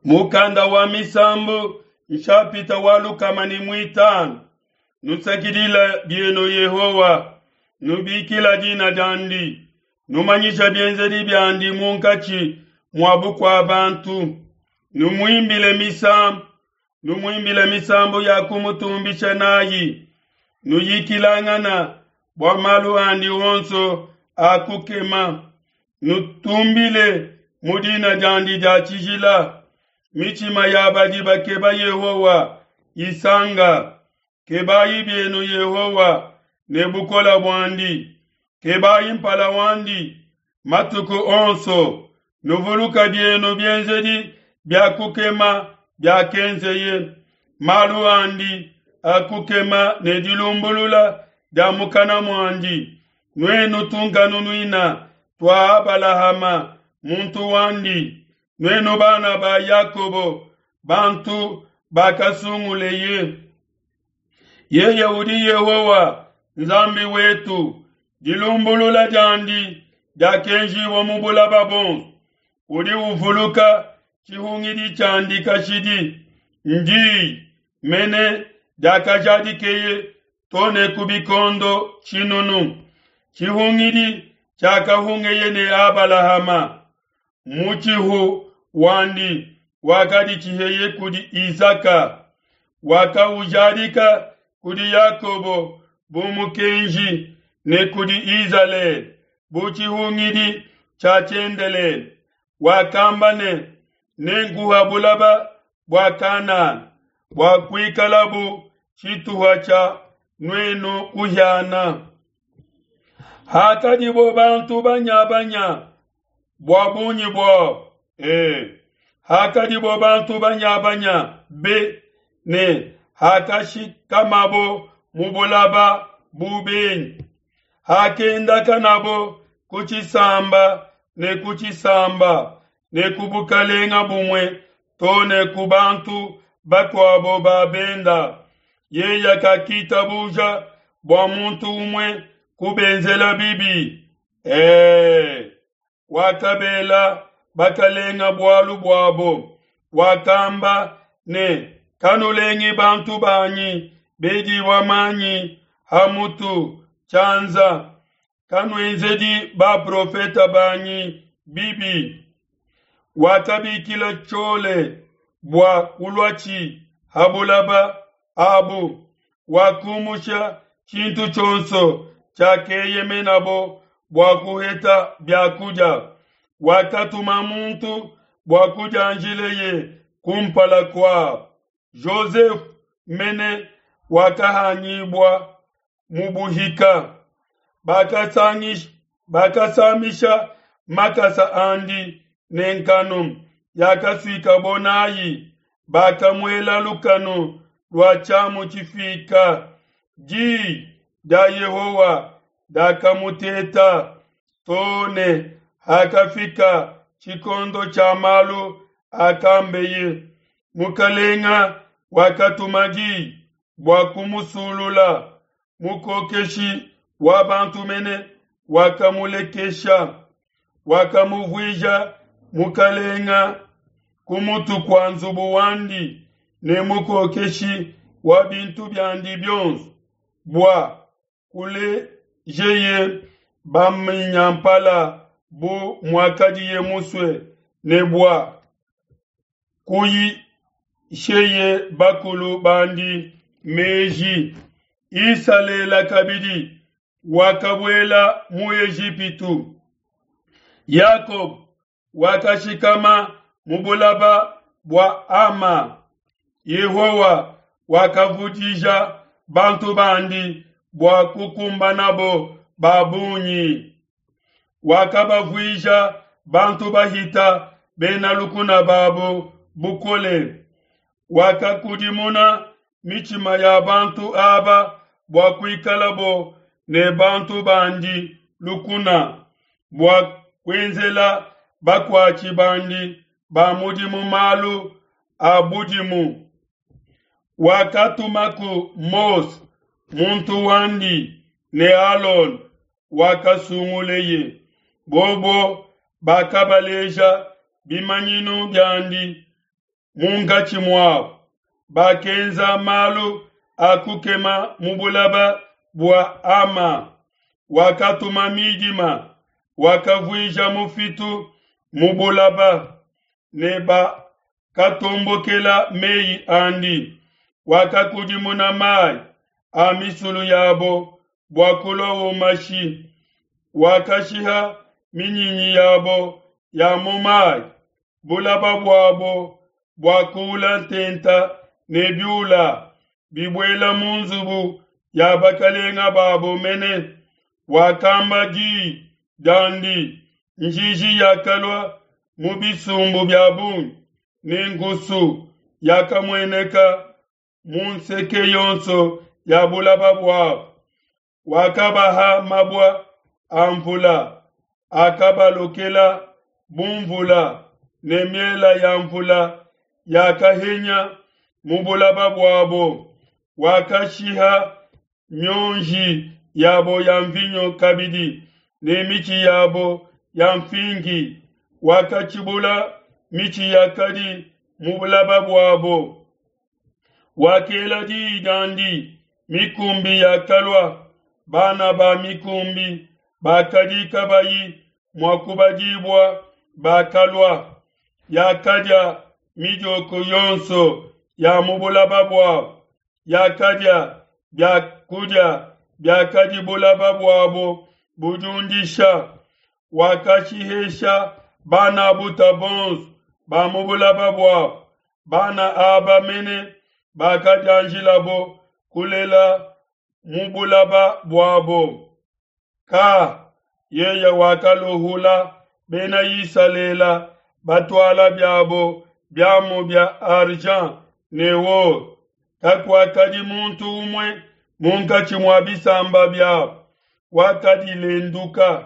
Mukanda wa Misambu nshapita wa 105. Nusakidila bienu Yehowa, nubikila dina diandi, numanyisha bienzedi biandi munkatshi mua bukua bantu. Numuimbile misambu, numuimbile misambu ya kumutumbisha nayi, nuyikilangana bua malu andi onso a kukema. Nutumbile mu dina diandi dia tshijila. Mitshima ya badi bakeba Yehowa isanga. Kebayi bienu Yehowa ne bukole buandi, kebayi mpala wandi matuku onso. Nuvuluka bienu bienzedi bia kukema biakenzeye, malu andi a kukema ne dilumbulula dia mukana muandi. Nuenu tunkanunuina tua Abalahama muntu wandi, nuenu bana ba Yakobo bantu bakasunguleye. Yeye udi Yehowa Nzambi wetu, dilumbulula diandi diakenjibua mu bulaba buonso. Udi uvuluka tshihungidi tshiandi kashidi, ndi mene diakajadikeye to ne ku bikondo tshinunu. Tshihungidi tshiakahungeye ne Abalahama, mutshihu wandi wakaditshiheye kudi Isaka, wakaujadika kudi Yakobo bu mukenji ne kudi Izalele bu tshihungidi tshia tshiendelele. Wakamba ne, Nenkuha bulaba bua Kanana bua kuikalabu tshituha tshia nuenu kuhiana. Hakadibo bantu banyabanya bua bungi buabo, e, hakadibo bantu banyabanya be ne hakashikamabo mu bulaba bu benyi, hakendakanabo ku tshisamba ne ku tshisamba ne ku bukalenga bumue to ne ku bantu bakuabo ba benda, yeye kakitabuja bua muntu umue kubenzela bibi. E, wakabela bakalenga bualu buabo, wakamba ne, Kanulengi bantu banyi bedibua manyi ha mutu tshianza, kanuenzedi baprofeta banyi bibi. Wakabikila tshiole bua kuluatshi ha bulaba abu, wakumusha tshintu tshionso tshiakeyemenabo bua kuheta bia kudia. Wakatuma muntu bua kudianjileye kumpala kua Joseph mene wakahanyibua mu buhika. Bakasamisha makasa andi ne nkanu yakasuikabo nayi, bakamuela lukanu lua tshiamu tshifika. Di dia Yehowa diakamuteta to ne hakafika tshikondo tshia malu akambeye. Mukalenga wakatuma di bua kumusulula, mukokeshi wa bantu mene wakamulekesha, wakamuvuija mukalenga ku mutu kua nzubu wandi ne mukokeshi wa bintu biandi bionso, bua kulejeye baminyampala bu muakadiye musue ne bua kuyisheye bakulu bandi meji. Isalele kabidi wakabuela mu Ejipitu. Yakobo wakashikama mu bulaba bua Ama. Yehowa wakavudija bantu bandi bua kukumbanabo ba bungi. Wakabavuija bantu bahita bena lukuna babo bukole. Wakakudimuna mitshima ya bantu aba bua kuikalabo ne bantu bandi lukuna, bua kuenzela bakuatshi bandi ba mudimu malu a budimu. Wakatumaku Mose muntu wandi ne Alona wakasunguleye. Bobo bakabaleja bimanyinu biandi. munkatshi muabo. Bakenza malu a kukema mu bulaba bua Ama. Wakatuma midima, wakavuija mufitu mu bulaba, ne bakatombokela meyi andi. Wakakudimuna mayi a misulu yabo bua kuluawo mashi, wakashiha minyinyi yabo ya mu mayi. Bulaba buabo buakuula ntenta ne biula bibuela mu nzubu ya bakalenga babo mene. Wakamba diyi diandi, njiji yakalua mu bisumbu bia bungi, ne nkusu yakamueneka mu nseke yonso ya bulaba buabo. Wakabaha mabua a nvula akabalokela bu nvula, ne miela ya nvula yakahenya mu bulaba buabo. Wakashiha mionji yabo ya nvinyo kabidi ne mitshi yabo ya nfingi, wakatshibula mitshi yakadi mu bulaba buabo. Wakela diyi diandi, mikumbi yakalua, bana ba mikumbi bakadi kabayi mua kubadibua bakalua. Yakadia midioko yonso ya mu bulaba buabo, yakadia bia kudia biakadi bulaba buabo budiundisha. Wakashihesha bana buta bonso ba mu bulaba buabo, bana aba mene bakadianjilabo kulela mu bulaba buabo. Ka yeye wakaluhula Bena Isalele batuala biabo biamu bia argent ne or. Kakuakadi muntu umue munkatshi mua bisamba biabo wakadilenduka.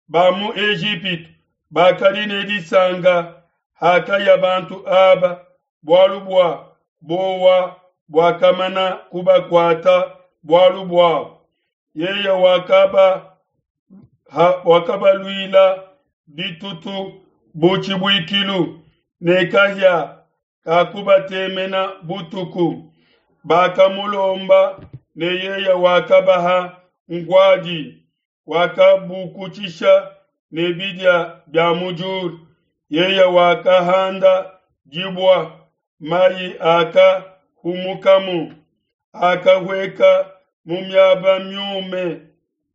Ba mu Ejipitu bakadi ne disanka hakaya bantu aba, bualu bua buowa buakamana kubakuata bualu buabo. Yeye wakabaluila ditutu bu tshibuikilu, ne kahia kakubatemena butuku. Bakamulomba ne yeye wakabaha nkuadi, wakabukutshisha ne bidia bia mu diulu. Yeye wakahanda dibua, mayi akahumukamu, akahueka mu miaba miume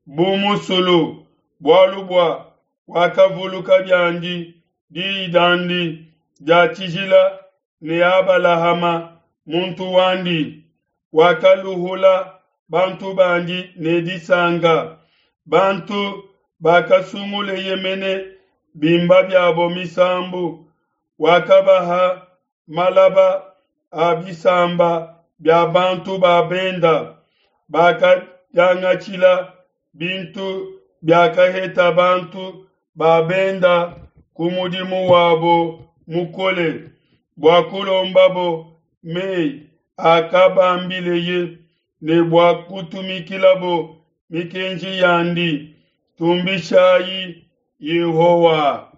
bu musulu, bualu bua wakavuluka biandi diyi diandi dia tshijila ne Abalahama muntu wandi. Wakaluhula bantu bandi ne disanka, bantu bakasunguleye mene bimba biabo misambu. Wakabaha malaba a bisamba bia bantu ba benda, bakadiangatshila bintu biakaheta bantu ba benda ku mudimu wabo mukole, bua kulombabo mei akabambileye ne bua kutumikilabo mikenji yandi. Tumbishai Yehowa.